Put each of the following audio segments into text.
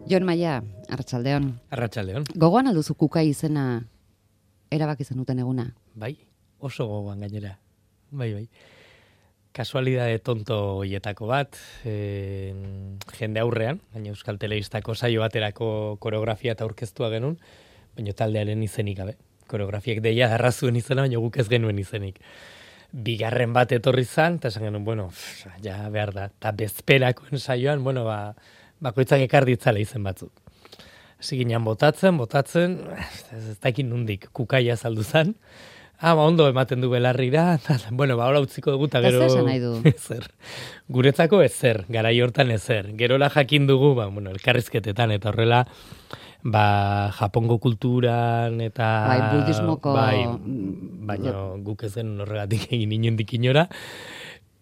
Jon Maia, Arratsaldeon. Arratsaldeon. Gogoan alduzu Kukai izena erabaki zenuten eguna? Bai, oso gogoan gainera. Bai. Kasualidade tonto hoietako bat, jende aurrean, baina Euskal Telebistako saio baterako koreografia eta aurkeztua genuen, baina taldearen izenik gabe. Koreografiak deia arrazuen izena, baina guk ez genuen izenik. Bigarren bat etorri zan, eta esan genuen, ja behar da. Eta bezperakoen saioan, bakoitzak ekar ditzala izen batzuk. Hasi ginen botatzen, ez dakit nundik, Kukaia saldu zan. Ondo ematen du belarrira, hola utziko dugu, eta gero... Zer nahi du? Ezer. Guretzako ezer, garai hortan ezer. Gerola jakin dugu, elkarrizketetan, eta horrela, Japongo kulturan, eta... Budismoko... Baina guk ez genuen horregatik egin inondik inora.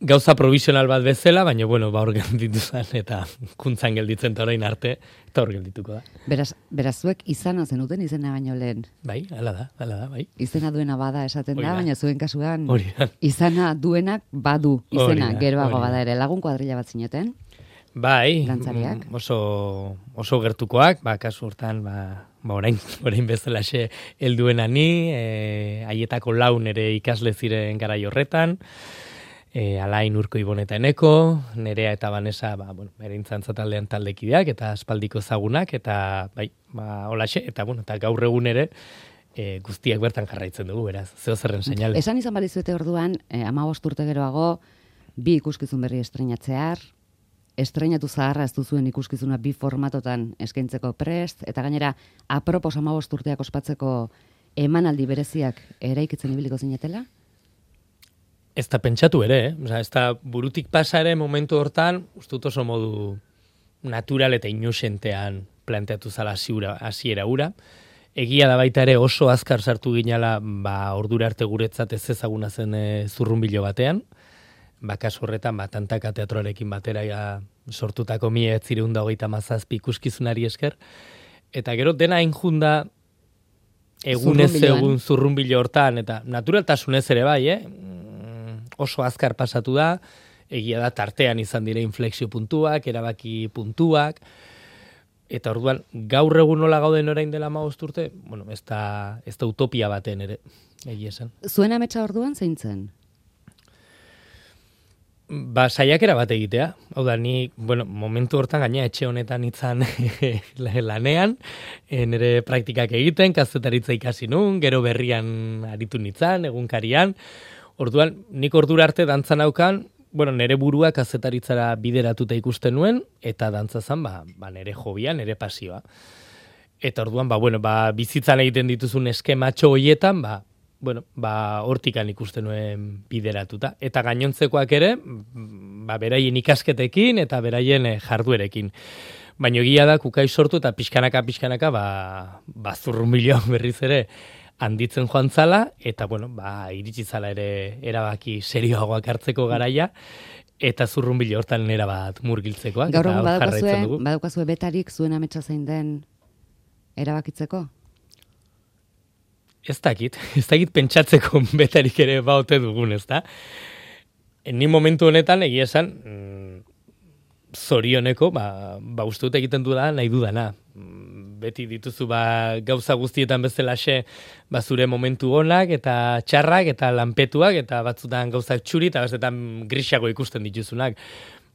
Gauza provisional bat bezala, baina, hor gelditu zen, eta kuntzan gelditzen eta orain arte, eta hor geldituko da. Beraz zuek izana zenuten izena baino lehen. Bai, hala da, bai. Izena duena bada esaten da, baina zuen kasuan Horian. Izana duenak badu izena, Horian. geroago bada ere. Lagun kuadrilla bat zineten? Bai, Dantzariak? oso gertukoak, kasu hortan, orain bezalaxe helduena ni, haietako laun ere ikasle ziren garai horretan, Alain Urko Iboneta Eneko, Nerea eta Vanessa, erintzantza taldean taldekideak, eta aspaldiko ezagunak, eta holaxe, eta gaur egun ere, guztiak bertan jarraitzen dugu, beraz, zeo zerren seinale. Esan izan balizuete orduan, 15 urte geroago, 2 ikuskizun berri estrenatzear, estrenatu zaharra ez duzuen ikuskizuna 2 formatotan eskaintzeko prest, eta gainera, apropos 15 urteak ospatzeko emanaldi bereziak eraikitzen ibiliko zinetela? Ez da pentsatu ere, ez da burutik pasa ere momentu hortan, ustut oso modu natural eta inusentean planteatu zala hasiera ura. Egia da baita ere oso azkar sartu ginala, ordura arte guretzat ez ezaguna zen zurrunbilo batean. Kasu horretan, Tantaka teatroarekin batera sortutako 1927 ikuskizunari esker. Eta gero dena enjunda egunez egun zurrunbilo hortan, eta naturaltasunez ere bai, oso azkar pasatu da, egia da tartean izan dire inflexio puntuak, erabaki puntuak, eta orduan gaur egun nola gauden orain dela 15 urte, ez da utopia baten ere, egia esan. Zuen ametsa orduan zein zen? Saiakera bat egitea. Hau da, ni, momentu hortan gaina etxe honetan itzan lanean, nire praktikak egiten, kazetaritza ikasi nun, gero berrian aritu nitzan, egunkarian. Orduan, nik ordura arte dantzan aukan, nire burua kazetaritzara bideratuta ikusten nuen, eta dantza zan, nire hobia, nire pasioa. Eta orduan, bizitzan egiten dituzun eskematxo hoietan, hortikan ikusten nuen bideratuta. Eta gainontzekoak ere, beraien ikasketekin eta beraien jarduerekin. Baina egia da, Kukai sortu eta pixkanaka, zurrunbiloan berriz ere, handitzen joan zala, eta iritsi zala ere erabaki serioagoak hartzeko garaia, eta zurrunbilo hortan erabat murgiltzekoak. Gaur egun badaukazue betarik zuen ametsa zein den erabakitzeko? Ez dakit pentsatzeko betarik ere baute dugun, ez da? Ni momentu honetan, egia esan, zorioneko, uste dut egiten du da, nahi dudana. Beti dituzu gauza guztietan bezalaxe zure momentu onak eta txarrak eta lanpetuak eta batzutan gauzak txuri eta bestetan grisago ikusten dituzunak.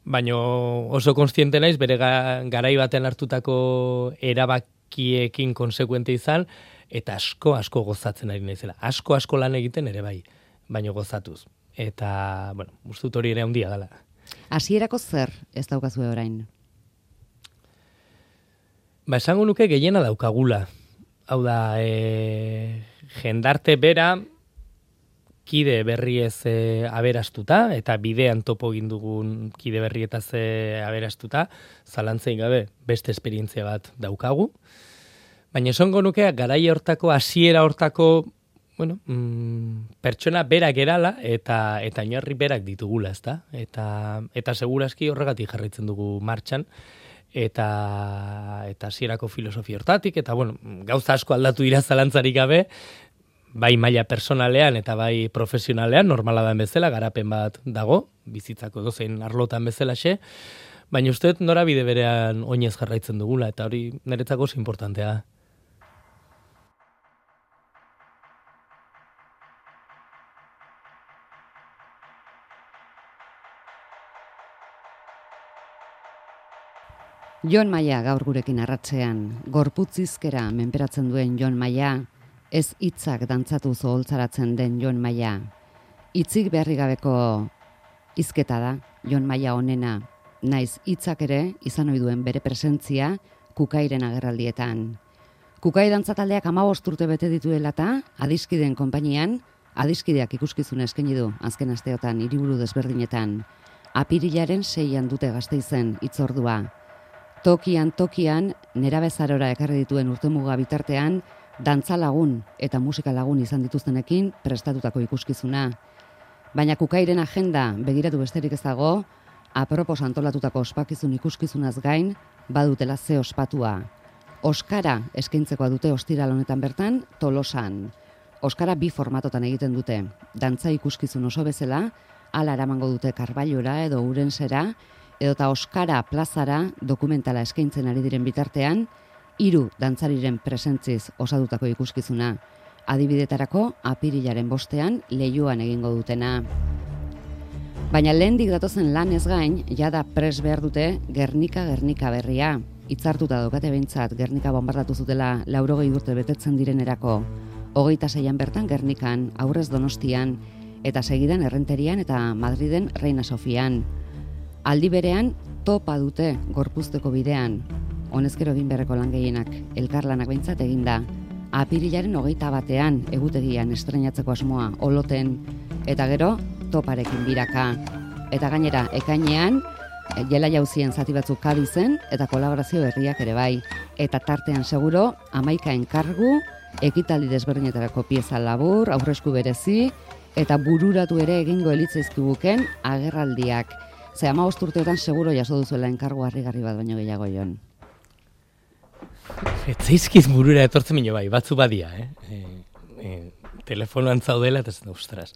Baina oso konstiente naiz bere garai baten hartutako erabakiekin konsekuente izan eta asko gozatzen ari naizela. Asko lan egiten ere bai, baina gozatuz. Eta, uste dut hori ere handia dela. Hasierako zer ez daukazue orain? Esango nuke gehiena daukagula. Hau da, jendarte bera, kide berriez aberastuta, eta bidean topo egin dugun kide berrietaz aberastuta, zalantzein gabe beste esperientzia bat daukagu. Baina esango nuke, garai hortako, hasiera hortako, pertsona berak erala, eta oinarri berak ditugula, ezta? Eta segurazki horregatik jarraitzen dugu martxan, eta hasierako filosofia hortatik, eta gauza asko aldatu dira zalantzarik gabe, bai maila personalean eta bai profesionalean, normala da bezala, garapen bat dago, bizitzako dozein arlotan bezalaxe, Baina uste norabide berean oinez jarraitzen dugula, eta hori niretzako oso importantea. Jon Maia gaur gurekin arratsean, gorputzizkera menperatzen duen Jon Maia, ez hitzak dantzatu zoholtzaratzen den Jon Maia. Hitzik beharri gabeko hizketa da Jon Maia honena, naiz hitzak ere izan ohi duen bere presentzia Kukairen agerraldietan. Kukai dantzataldeak 15 urte bete dituela eta adiskideen konpainian, adiskideak ikuskizuna eskaini du azken asteotan hiriburu desberdinetan. Apirilaren 6an dute Gasteizen hitzordua. Tokian nerabezarora ekarri dituen urtemuga bitartean, dantza lagun eta musika lagun izan dituztenekin prestatutako ikuskizuna. Baina Kukairen agenda begiratu besterik ez dago, apropos antolatutako ospakizun ikuskizunaz gain, badutela ze ospatua. Oskara eskaintzekoa dute ostiral honetan bertan, Tolosan. Oskara 2 formatotan egiten dute. Dantza ikuskizun oso bezala, hala eramango dute Karballora edo Urensera, edota Oskara plazara dokumentala eskaintzen ari diren bitartean, 3 dantzariren presentziz osatutako ikuskizuna. Adibidetarako apirilaren 5ean Leioan egingo dutena. Baina lehendik datozen lan ez gain, jada pres behar dute Gernika berria. Hitzartuta daukate behintzat Gernika bombardatu zutela 80 urte betetzen direnerako. 26an bertan Gernikan, aurrez Donostian, eta segidan Errenterian eta Madriden Reina Sofian. Aldi berean, topa dute gorpuzteko bidean. Honezkero egin beharreko lan gehienak, elkarlanak behintzat eginda. Apirilaren 21ean egutegian estreinatzeko asmoa Oloten, eta gero toparekin biraka. Eta gainera, ekainean, jela jauzien zati batzuk Kadizen, eta kolaborazio berriak ere bai. Eta tartean seguro, 11 enkargu, ekitaldi desberdinetarako pieza labur, aurresku berezi, eta bururatu ere egingo elitzaizkibuken agerraldiak. Ze 15 urteetan seguro jaso duzuela enkargu harrigarri bat baino gehiago Jon. Etzaizkiz burura etortzen mino bai, batzu badia, telefonoan zaudela, eta ostras,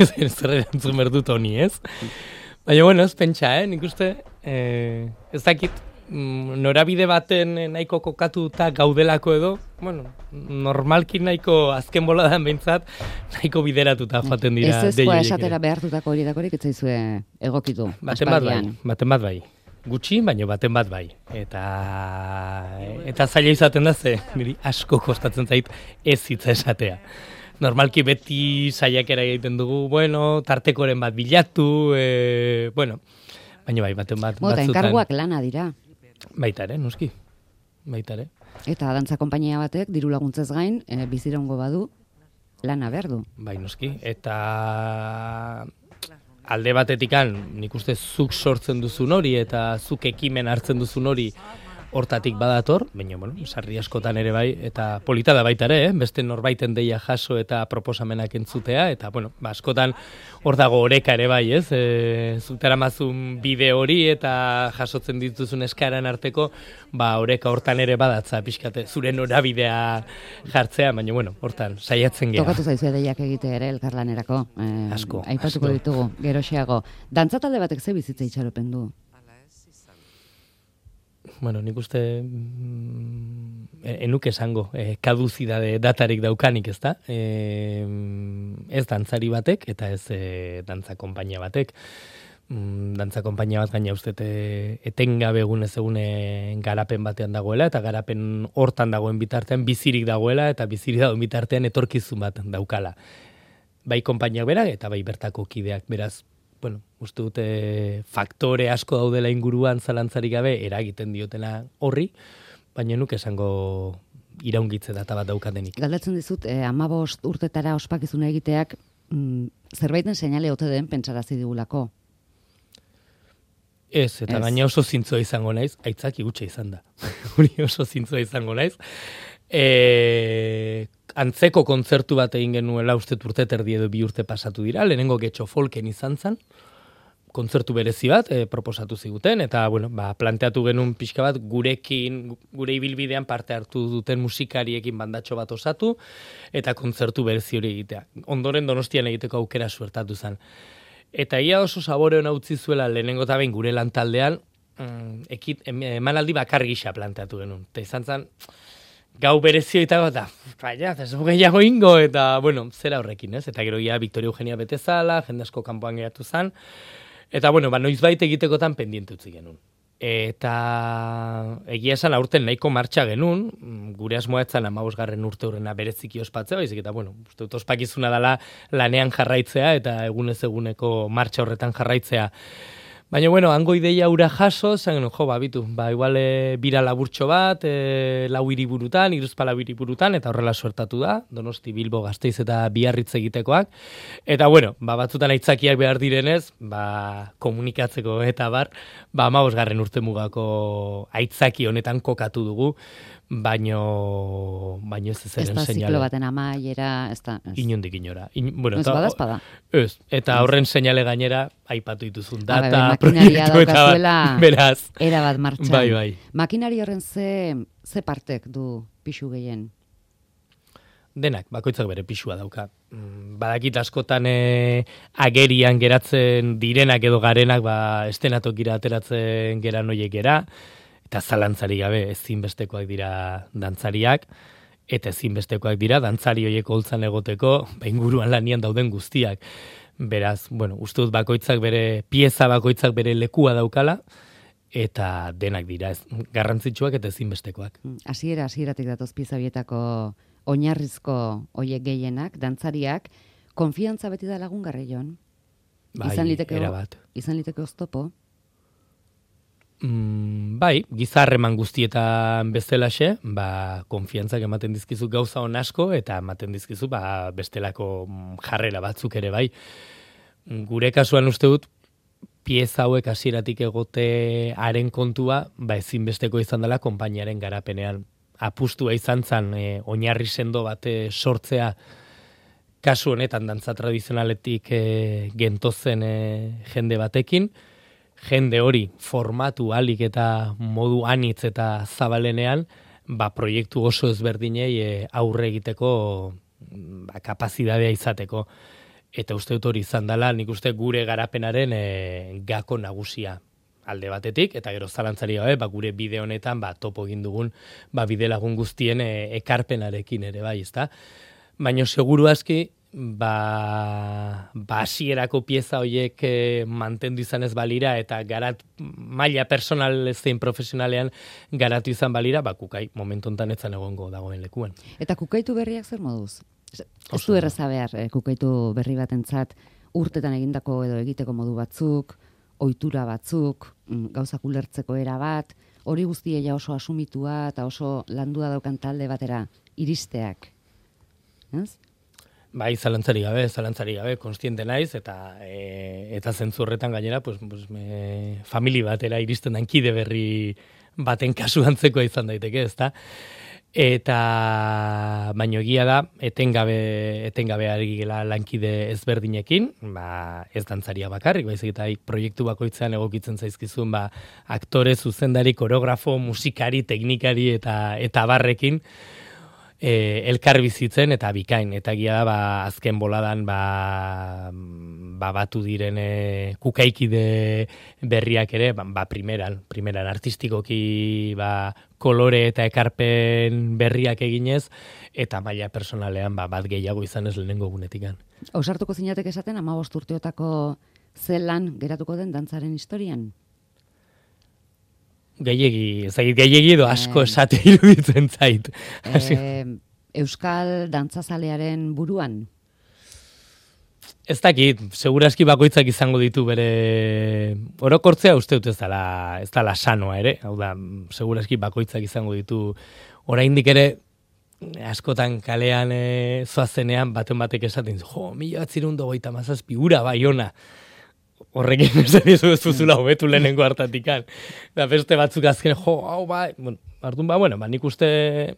zer erantzun berdut honi, ez? Baina, bueno, ez pentsa, nik uste, ez dakit, norabide baten nahiko kokatuta gaudelako edo, bueno, normalki nahiko azken boladan behintzat, nahiko bideratuta joaten dira. Ez ezkoa esatera behartutako hori dakorik, ez zaizue egokitu. Baten bat bai. Gutxi, baina baten bat bai. Eta zaila izaten da ze, niri asko kostatzen zait ez hitza esatea. Normalki beti saiakera egiten dugu, bueno, tartekoren bat bilatu, bueno, baina bai, baten bat batzutan. Enkarguak lana dira. Baita ere, noski. Baita ere. Eta dantza konpainia batek, diru laguntzez gain, biziraungo badu, lana behar du. Bai, noski. Eta alde batetikan, nik uste zuk sortzen duzun hori, eta zuk ekimen hartzen duzun hori hortatik badator, baina, bueno, sarri askotan ere bai, eta polita da baita ere, beste norbaiten deia jaso eta proposamenak entzutea, eta, bueno, askotan hor dago oreka ere bai, ez? Zutera mazun bide hori eta jasotzen dituzun eskaran arteko, oreka hortan ere badatza, pixkate, zure norabidea jartzea, baina, bueno, hortan, saiatzen gera. Tokatu zaizu edeiak egite ere, elkarlanerako. Asko. Aipatuko ditugu, geroxeago. Dantzatalde batek ze bizitza itxaropen du? Bueno, nik uste enuk esango, kaduzidade datarik daukanik, ez da? Ez dantzari batek, eta ez dantza konpainia batek. Dantza konpainia bat gaina uste etengabe egunez egune garapen batean dagoela, eta garapen hortan dagoen bitartean bizirik dagoela, eta bizirik dagoen bitartean etorkizun bat daukala. Bai konpainiak berak, eta bai bertako kideak, beraz, bueno, uste dute faktore asko daudela inguruan zalantzarik gabe eragiten diotena horri, baina nuk esango iraungitze data bat daukatenik. Galdatzen dizut, 15 urtetara ospakizuna egiteak zerbaiten seinale ote den pentsarazi digulako. Ez, eta gaina oso zintzoa izango naiz, aitzaki gutxe izan da. Hori oso zintzoa izango naiz. Antzeko kontzertu bat egin genuela uste urte terdi edo 2 urte pasatu dira, lehenengo Getxo Folken izan zen, kontzertu berezi bat proposatu ziguten, eta bueno, planteatu genuen pixka bat gurekin, gure ibilbidean parte hartu duten musikariekin bandatxo bat osatu, eta kontzertu berezi hori egitea. Ondoren Donostian egiteko aukera suertatu zen. Eta ia oso sabore hona utzi zuela lehenengo eta behin gure lantaldean, emanaldi bakarri gisa planteatu genuen. Eta izan zen, gau berezio eta baina, ez gehiago ingo, eta, bueno, zera horrekin, ez? Eta gero ja, Victoria Eugenia betezala, jende asko kanpoan geratu zen, eta, bueno, noizbait egitekotan pendiente utzi genuen. Eta egia esan aurten nahiko martxa genuen, gure asmoa etzan 15. urte hurrena bereziki ospatzea, baizik eta, bueno, uste dut ospakizuna dela lanean jarraitzea, eta egunez eguneko martxa horretan jarraitzea. Baina, bueno, hango ideia ura jaso, zen genuen, bitu, igual bira laburtxo bat, 4 hiriburutan, 3 hiriburutan, eta horrela suertatu da, Donosti, Bilbo, Gasteiz eta Biarritz egitekoak. Eta, bueno, batzutan aitzakiak behar direnez, komunikatzeko eta 15. urte mugako aitzaki honetan kokatu dugu, baino ez ezen seinale. Ez da ziklo baten amaiera, ez da. Inondik inora. Bueno, ez badazpada. Ez, eta horren seinale gainera, aipatu dituzun data, makinaria daukazuela, beraz. Era bat martxan. Bai. Makinari horren ze partek du pixu gehien? Denak, bakoitzak bere pixua dauka. Badakit askotan agerian geratzen direnak edo garenak, estenatokira ateratzen gera noiek gera, eta zalantzari gabe ezinbestekoak dira dantzariak, eta ezinbestekoak dira dantzari horiek holtzan egoteko, inguruan lanian dauden guztiak. Beraz, bueno, uste dut bakoitzak bere, pieza bakoitzak bere lekua daukala, eta denak dira, garrantzitsuak eta ezinbestekoak. Hasieratik datoz pieza bietako oinarrizko hoiek gehienak, dantzariak, konfiantza beti da lagungarri Jon? Izan liteke oztopo? Gizarreman guztietan bezalaxe, konfiantzak ematen dizkizu gauza on asko, eta ematen dizkizu bestelako jarrera batzuk ere bai. Gure kasuan uste dut, pieza hauek hasieratik egotearen kontua, ezinbesteko izan dela konpainiaren garapenean. Apustua izan zen, oinarri sendo bate sortzea, kasu honetan dantza tradizionaletik gentozen jende batekin, jende hori formatu alik eta modu anitz eta zabalenean, proiektu oso ezberdinei aurre egiteko kapazitatea izateko. Eta uste dut hori izan dela, nik uste gure garapenaren gako nagusia alde batetik, eta gero zalantzari gabe, gure bide honetan topo egin dugun bide lagun guztien ekarpenarekin ere bai, ezta? Baina seguru aski, hasierako pieza horiek mantendu izan ez balira, eta maila personal zein profesionalean garatu izan balira, kukai momentu honetan etzan egongo dagoen lekuan. Eta kukaitu berriak zer moduz? Ez du erraza behar, kukaitu berri batentzat urtetan egindako edo egiteko modu batzuk, ohitura batzuk, gauzak ulertzeko era bat, hori guztia oso asumitua eta oso landua daukan talde batera iristeak. Ez? Zalantzari gabe, konstiente naiz, eta zentzu horretan gainera, famili batera iristen den kide berri baten kasu antzekoa izan daiteke, ezta? Eta baino egia da, etengabe ari gela lankide ezberdinekin, ez dantzaria bakarrik, baizik eta proiektu bakoitzean egokitzen zaizkizun, aktore, zuzendari, koreografo, musikari, teknikari eta barrekin, elkar bizitzen eta bikain, eta egia da, azken boladan batu diren kukaikide berriak ere, primeran artistikoki kolore eta ekarpen berriak eginez, eta maila personalean bat gehiago izan ez lehenengo gunetikan. Ausartuko zinatek esaten 15 urteotako zelan geratuko den dantzaren historian? Gehiegi edo asko esate iruditzen zait. Euskal dantzazalearen buruan? Ez dakit, seguraski bakoitzak izango ditu bere orokortzea uste dut ez dela sanoa ere, hau da, seguraski bakoitzak izango ditu oraindik ere askotan kalean zoazenean batek esaten, 1927 ura Baiona. Horrekin esan ez duzula hobetu lehenengo hartatikan. Da beste batzuk azken, nik uste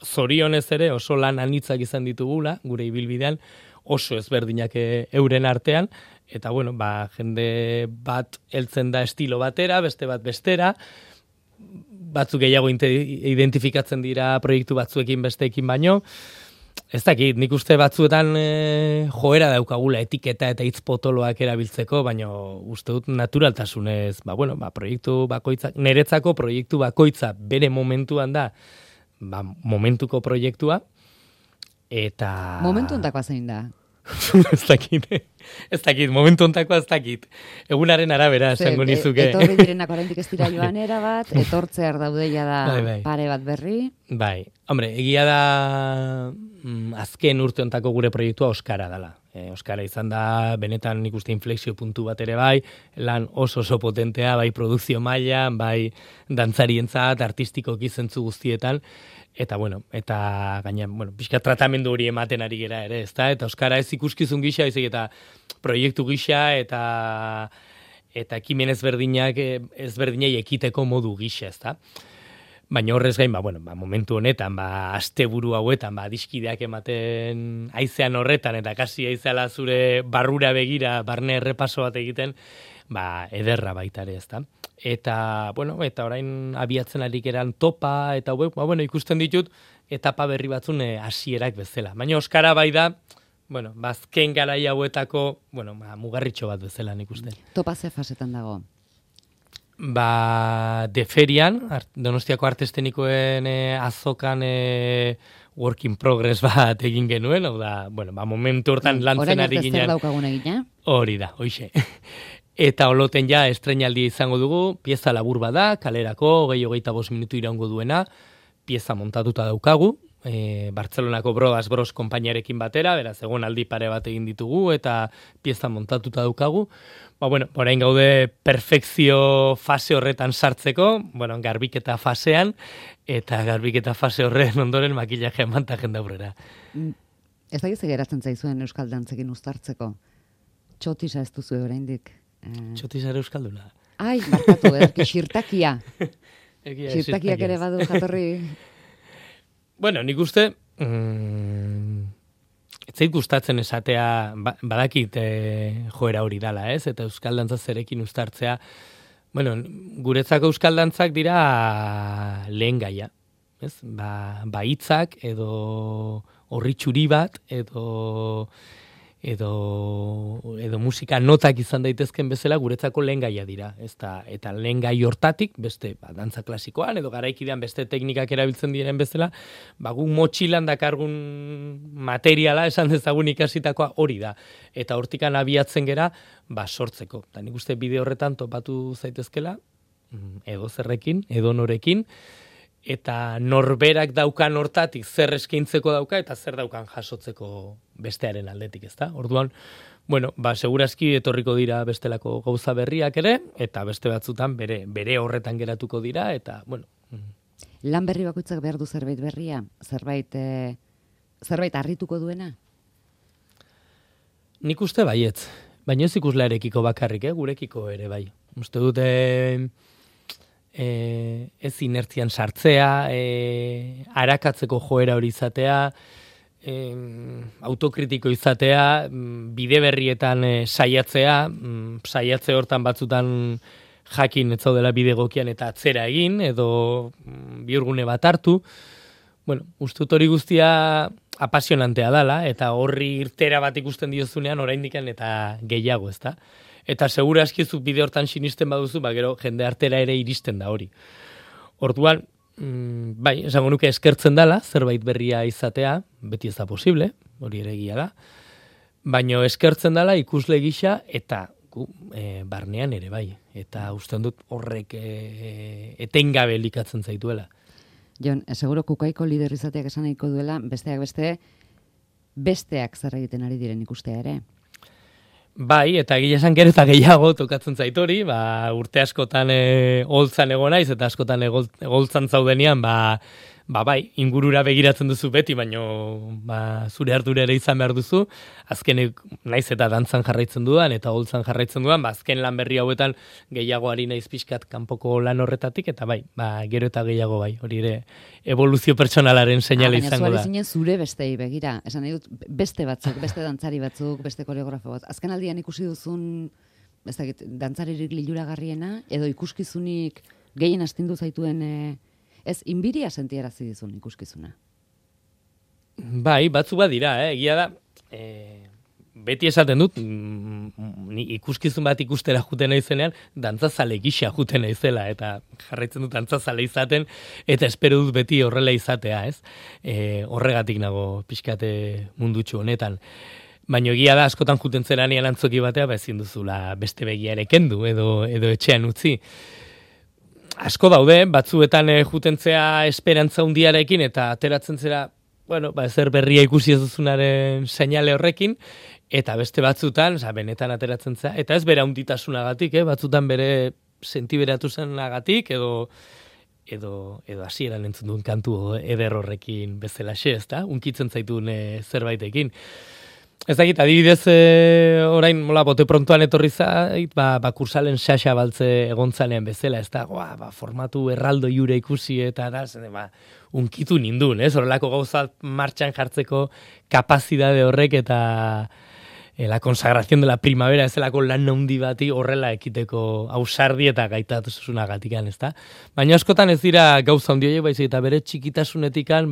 zorionez ere oso lan anitzak izan ditugula, gure ibilbidean, oso ezberdinak euren artean, eta jende bat heltzen da estilo batera, beste bat bestera, batzuk gehiago identifikatzen dira proiektu batzuekin besteekin baino, Ez dakit, nik uste batzuetan joera daukagula etiketa eta hitz potoloak erabiltzeko, baina uste dut naturaltasunez, proiektu bakoitzak, niretzako proiektu bakoitza bere momentuan da, momentuko proiektua, eta... Momentu ontakoa zein da? ez dakit, momentu ontakoa ez dakit. Egunaren arabera, esango nizuke. Etorri direnak oraindik ez dira joan bat, etortzear daudeia da bai. pare bat berri. Bai, hombre, egia da azken urte ontako gure proiektua Oskara dela. Oskara izan da, benetan nik uste inflexio puntu bat ere bai, lan oso potentea, bai produkzio mailan, bai dantzarientzat, artistikoki zentzu guztietan, eta gaina, pixka tratamendu hori ematen ari gera ere, ezta? Eta Oskara ez ikuskizun gisa, eta proiektu gisa, eta ekimen ezberdinei ekiteko modu gisa, ezta? Baina horrez gain, momentu honetan, asteburu hauetan, diskideak ematen haizean horretan, eta kasi haizeala zure barrura begira, barne errepaso bat egiten, ederra baita ere, ezta? Eta orain abiatzen ari geran topa, eta ikusten ditut, etapa berri batzun hasierak bezala. Baina Oskara bai da, azken garai hauetako, mugarritxo bat bezala nik uste. Topa ze fasetan dago? Deferian, Donostiako Arte Eszenikoen azokan work in progress bat egin genuen, hau da, momentu hortan lantzen ari ginen. Orain zer daukagun egina? Hori da, hoxe. Eta oloten ja estreinaldia izango dugu, pieza labur bada, kalerako, 25 minutu iraungo duena, pieza montatuta daukagu, Bartzelonako Brodas Bros konpainiarekin batera, beraz, egon aldi pare bat egin ditugu, eta pieza montatuta daukagu. Orain gaude perfekzio fase horretan sartzeko, garbiketa fasean, eta garbiketa fase horren ondoren makillaje emantajen daurrera. Ez da gizek geratzen zaizuen euskal dantzekin uztartzeko? Txotisa ez duzu oraindik. Txotisa ere euskalduna. Ai, barkatu, xirtakia. Xirtakiak ere badu jatorri... Nik uste, ez zait gustatzen esatea, badakit joera hori dala, ez? Eta euskal dantza zerekin uztartzea. Guretzako euskal dantzak dira lehen gaia, ez? Hitzak edo horritxuri bat, edo musika notak izan daitezken bezala guretzako lehen gaia dira. Eta lehen gai hortatik, beste dantza klasikoan, edo garaikidean beste teknikak erabiltzen diren bezala, gu motxilan dakargun materiala, esan dezagun ikasitakoa hori da. Eta hortikan abiatzen gera, sortzeko. Eta nik uste bide horretan topatu zaitezkela, edo zerrekin, edo norekin, eta norberak daukan hortatik zer eskaintzeko dauka eta zer daukan jasotzeko bestearen aldetik, ezta? Orduan, segurazki etorriko dira bestelako gauza berriak ere, eta beste batzutan bere horretan geratuko dira, eta, Lan berri bakoitzak behar du zerbait berria? Zerbait harrituko duena? Nik uste baietz, baina ez ikuslearekiko bakarrik, gurekiko ere bai. Uste dute... ez inertzian sartzea, arakatzeko joera hori izatea, autokritiko izatea, bide berrietan saiatzea, saiatze hortan batzutan jakin ez zaudela bide gokian eta atzera egin, edo bihurgune bat hartu. Uste dut hori guztia apasionantea dala, eta horri irtera bat ikusten diozunean oraindikan eta gehiago, ezta? Eta segura askizuk bide hortan sinisten baduzu, gero jende artera ere iristen da hori. Orduan, esango nuke eskertzen dala, zerbait berria izatea, beti ez da posible, hori ere egia da, baina eskertzen dala ikusle gisa eta barnean ere bai. Eta usten dut horrek etengabe elikatzen zaituela. Jon, seguro kukaiko lider izateak esan nahiko duela, besteak zer egiten ari diren ikustea ere. Bai, eta gila esan gero eta gehiago tokatzen zaitori, urte askotan holtzan egon naiz, eta askotan holtzan zaudenean, bai, ingurura begiratzen duzu beti, baino zure ardura ere izan behar duzu, azkenek naiz eta dantzan jarraitzen dudan, eta holtzan jarraitzen dudan, azken lan berri hauetan gehiago ari naiz pixkat kanpoko lan horretatik, eta bai, gero eta gehiago bai, hori ere evoluzio pertsonalaren seinale izango da. Baina zure bestei begira, esan nahi dut, beste batzuk, beste dantzari batzuk, beste koreografo bat, azken aldian ikusi duzun, ez dakit, dantzaririk liluragarriena, edo ikuskizunik gehien astindu zaituen... Ez, inbiria sentiarazi dizun ikuskizuna? Bai, batzu bat dira, egia da. Beti esaten dut, ni ikuskizun bat ikustera juten naizenean, dantzazale gisa juten naizela, eta jarraitzen dut dantzazale izaten, eta espero dut beti horrela izatea, ez? Horregatik nago pixkate mundutxu honetan. Baina egia da, askotan juten zeranean antzoki batea, ezin duzula beste begia ere kendu, edo etxean utzi. Asko daude, batzuetan jutentzea esperantza hundiarekin, eta ateratzen zera, zer berria ikusi ez duzunaren seinale horrekin, eta beste batzutan, benetan ateratzen zera, eta ez bera hunditasunagatik, batzutan bere sentiberatu zenagatik, edo hasieran entzun duen kantu eder horrekin bezalaxe, ez da? Unkitzen zaitun zerbaitekin. Ez dakit, adibidez, orain, bote prontoan etorri zait, kursalen xaxa baltze egontzanean bezala, ez da, formatu erraldo jure ikusi, eta da, unkitu nindun, ez? Horrelako gauza martxan jartzeko kapazidade horrek, eta la consagración de la primavera, ez delako lan handi bati horrela ekiteko ausardi eta gaitasunagatik, ez da? Baina askotan ez dira gauza handi horiek, baizik, eta bere txikitasunetikan,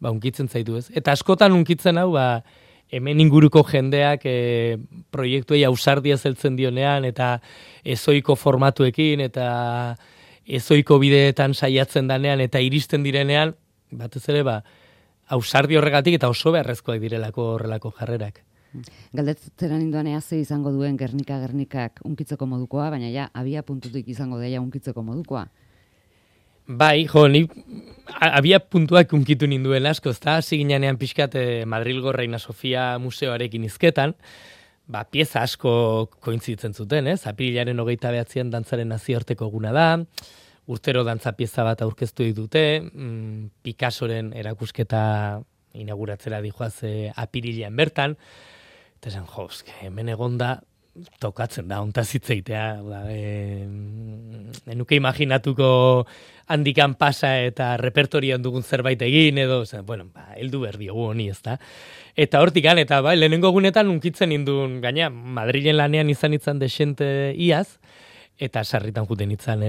unkitzen zaitu, ez? Eta askotan unkitzen hau, hemen inguruko jendeak proiektuei ausardia zeltzen dionean, eta ezoiko formatuekin, eta ezoiko bideetan saiatzen danean, eta iristen direnean, batez ere, ausardi horregatik, eta oso beharrezkoak direlako horrelako jarrerak. Galdetzen ninduan ze izango duen Gernikak unkitzeko modukoa, baina ja, abia puntutik izango daia unkitzeko modukoa. Bai, ni abia puntuak unkitu ninduen asko, ezta? Hasi ginean pixkat Madrilgo Reina Sofia museoarekin hizketan, pieza asko kointzitzen zuten, ez? Apirilaren 29an dantzaren nazioarteko eguna da, urtero dantza pieza bat aurkeztu ditute, Picassoren erakusketa inauguratzera dijoaz apirilean bertan, eta esan, hemen egonda, tokatzen da, ontaz hitzeitea, enuke imaginatuko handikan pasa eta repertorian dugun zerbait egin, edo, heldu berdiogu honi, ez da. Eta hortikan, eta lehenengo egunetan unkitzen nindun, gaina, Madrilen lanean izan desente iaz, eta sarritan juten izan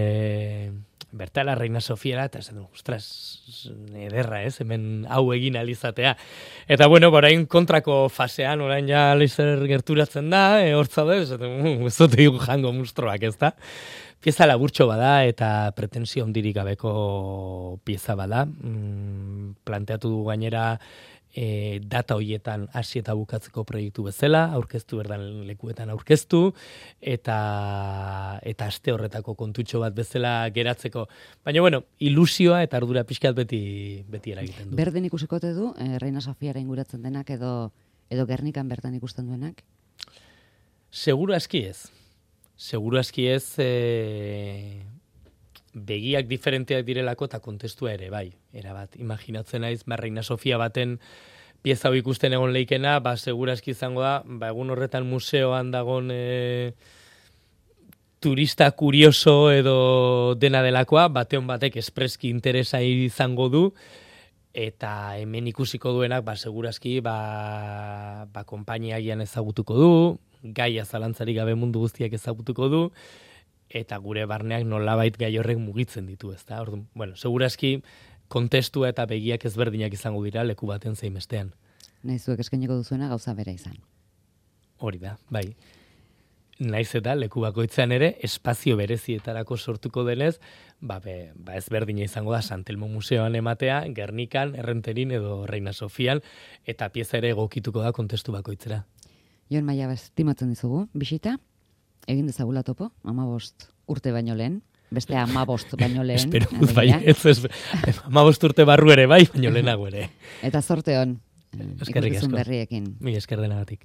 bertala Reina Sofiara, eta esan, ostras, ederra, ez, hemen hau egin alizatea. Eta, orain kontrako fasean, orain ja leizer gerturatzen da, hortza da, ez dut jango mustroak, ez da. Pieza laburtxo bada, eta pretensio hondirik gabeko pieza bada. Planteatu du gainera, data hoietan hasi eta bukatzeko proiektu bezala, aurkeztu berdan lekuetan aurkeztu, eta aste horretako kontutxo bat bezala geratzeko. Baina, ilusioa eta ardura pixkat beti eragiten du. Berden ikusikote du, Reina Sofiara inguratzen denak, edo Gernikan bertan ikusten duenak? Seguru aski ez. Seguru aski ez, begiak diferenteak direlako eta kontestua ere, bai. Erabat, imaginatzen naiz, Reina Sofia baten pieza hau ikusten egon leikena, segura eski izango da, egun horretan museoan dagon turista kurioso edo dena delakoa, bateon batek espreski interesa izango du, eta hemen ikusiko duenak, segurazki, konpainiagian ezagutuko du, gaia zalantzarik gabe mundu guztiak ezagutuko du, eta gure barneak nolabait gai horrek mugitzen ditu, ezta? Orduan, segurazki kontestua eta begiak ezberdinak izango dira leku baten zein bestean. Nahizuek eskainiko duzuena gauza bera izan. Hori da, bai. Naiz eta leku bakoitzean ere espazio berezietarako sortuko denez, ezberdina izango da Santelmo Museoan ematea, Gernikan, Errenterin edo Reina Sofian, eta pieza ere egokituko da kontestu bakoitzera. Jon Maia, estimatzen dizugu, bisita? Egin dezagula topo, 15 urte baino lehen, beste 15 baino lehen. Espero, bai, ez 15 urte barru ere bai, baino lehenago ere. Eta zorte hon, ikuskizun berriekin. Mila esker denagatik.